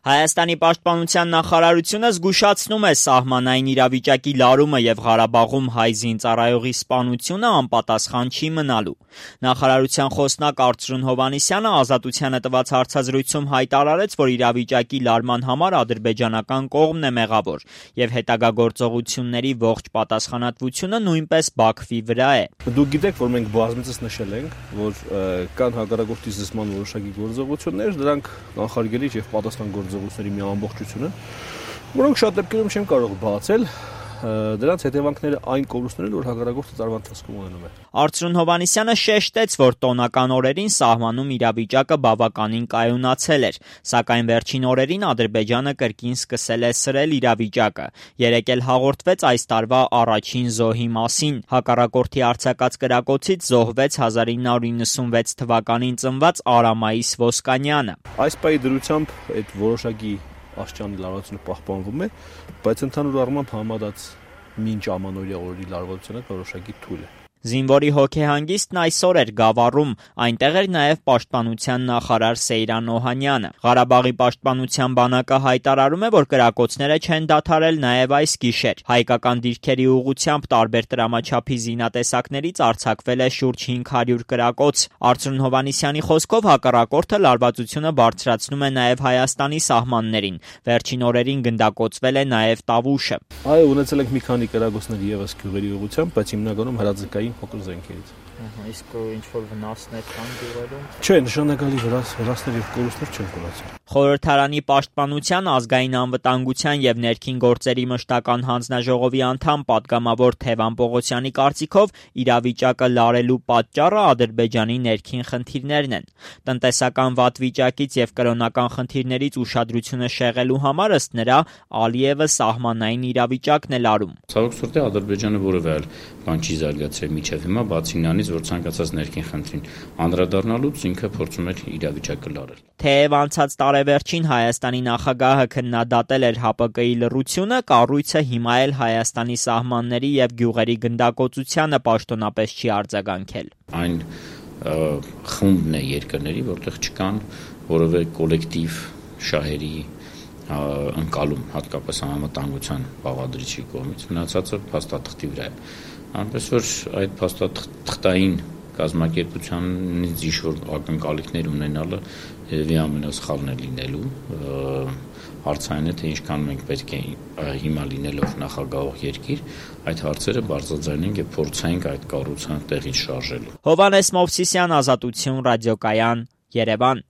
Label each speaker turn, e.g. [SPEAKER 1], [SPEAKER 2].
[SPEAKER 1] Հայաստանի պաշտպանության նախարարությունը զգուշացնում է սահմանային իրավիճակի լարումը եւ Ղարաբաղում հայ զինծառայողի սպանությունը անպատասխան չի մնալու։ Նախարարության խոսնակ Արծրուն Հովհաննիսյանը Ազատությանը տված հարցազրույցում հայտարարեց, որ իրավիճակի լարման համար ադրբեջանական կողմն է մեղավոր եւ հետագա գործողությունների ողջ պատասխանատվությունը նույնպես Բաքվի վրա է։
[SPEAKER 2] Դուք գիտեք, որ մենք բազմիցս նշել ենք, որ կան հակառակորդի զսպման որոշակի գործողություններ, դրանք կանխարգելիչ եւ պատասխան գործողությունների մի ամբողջություն են, որոնք շատ դեպքերում չեն կարող բացել դրանց հետևանքները այն կորուստներն, որ հակառակորդը տարվա ընթացքում ունենում է։
[SPEAKER 1] Արծրուն Հովհաննիսյանը շեշտեց, որ տոնական օրերին սահմանում իրավիճակը բավականին կայունացել էր, սակայն վերջին օրերին Ադրբեջանը կրկին սկսել է սրել իրավիճակը։ Երեկ էլ հաղորդվեց այս տարվա առաջին զոհի մասին։ Հակառակորդի արձակած կրակոցից զոհվեց 1996 թվականին ծնված Արամայիս Ոսկանյանը։
[SPEAKER 2] Այս պահի դրությամբ այդ որոշակի աշխանի լարվածությունը պահպանվում է, բայց ընդհանուր առմամբ համարած մինչ ամանորյա օրերի լարվածությունը որոշակի թույլ է։
[SPEAKER 1] Զինվորի հոգեհանգիստն այսօր էր Գավառում, այնտեղ էր նաև պաշտպանության նախարար Սեյրան Օհանյանը։ Ղարաբաղի պաշտպանության բանակը հայտարարում է, որ կրակոցները չեն դադարել նաև այս գիշեր։ Հայկական դիրքերի ուղղությամբ տարբեր տրամաչափի զինատեսակներից արձակվել է շուրջ 500 կրակոց։ Արծրուն Հովհաննիսյանի խոսքով հակառակորդը լարվածությունը բարձրացնում է նաև Հայաստանի սահմաններին։ Վերջին օրերին գնդակոծվել է նաև Տավուշը։
[SPEAKER 2] Այո, ունեցել ենք մի քանի կրակոցներ եւս գյուղերի ուղղությամբ, բայց հիմնականում հրաձգային փոքր զենքերից։
[SPEAKER 1] Իսկ ինչ-որ վնասներ կան գյուղերում։
[SPEAKER 2] Չէ, նշանակալի վնասներ եւ կորուստներ չեն ունեցել։
[SPEAKER 1] Խորհրդարանի պաշտպանության, ազգային անվտանգության եւ ներքին գործերի մշտական հանձնաժողովի անդամ պատգամավոր Թևան Պողոսյանի կարծիքով իրավիճակը լարելու պատճառը Ադրբեջանի ներքին խնդիրներն են։ Տնտեսական վատ վիճակից եւ կրոնական խնդիրներից ուշադրությունը շեղելու համար ըստ նրա Ալիևը սահմանային իրավիճակն է լարում։
[SPEAKER 3] Ցավոք սրտի Ադրբեջանը որևէ այլ բան չի զարգացրել միջև հիմա, բացի նրանից, որ ցանկացած ներքին խնդրին անդրադառնալուց ինքը փորձում էր իրավիճակը լարել։
[SPEAKER 1] Թեև անցած տարեվերջին Հայաստանի նախագահը քննադատել էր ՀԱՊԿ-ի լռությունը, կառույցը հիմա էլ Հայաստանի սահմանների եւ գյուղերի գնդակոծությանը պաշտոնապես չի արձագանքել։
[SPEAKER 3] Այն խումբն է երկրների, որտեղ չկան որևէ կոլեկտիվ շահերի ընկալում, հատկապես անվտանգության բաղադրիչի կողմից, մնացածը փաստաթղթի վրա է։ Այնպես որ այդ փաստաթղթային կազմակերպությանից ինչ-որ ակնկալիքներ ունենալը երևի ամենասխալն է լինելու։ Հարցը այն է, թե ինչքան մենք պետք է հիմա լինելով նախագահող երկիր այդ հարցերը բարձրաձայնենք եւ փորձենք այդ կառուցան տեղից շարժելու։
[SPEAKER 1] Հովհաննես Մովսիսյան, Ազատություն, ռադիոկայան, Երևան։